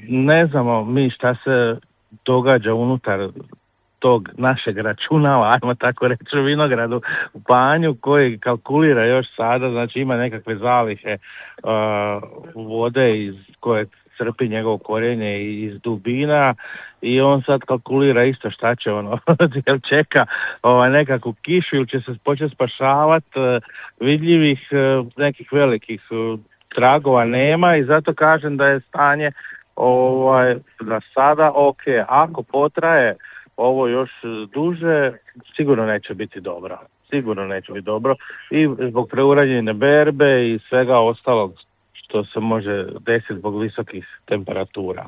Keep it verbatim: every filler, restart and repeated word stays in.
ne znamo mi šta se događa unutar tog našeg računala, ajmo tako reći, u vinogradu u Panju, koji kalkulira još sada, znači ima nekakve zalihe uh, vode iz koje crpi njegovo korijenje iz dubina i on sad kalkulira isto šta će ono, jer čeka ovaj, nekakvu kišu ili će se početi spašavati, uh, vidljivih uh, nekih velikih uh, tragova nema i zato kažem da je stanje ovaj, da sada ok, ako potraje ovo još duže, sigurno neće biti dobro. Sigurno neće biti dobro i zbog preuranjene berbe i svega ostalog što se može desiti zbog visokih temperatura.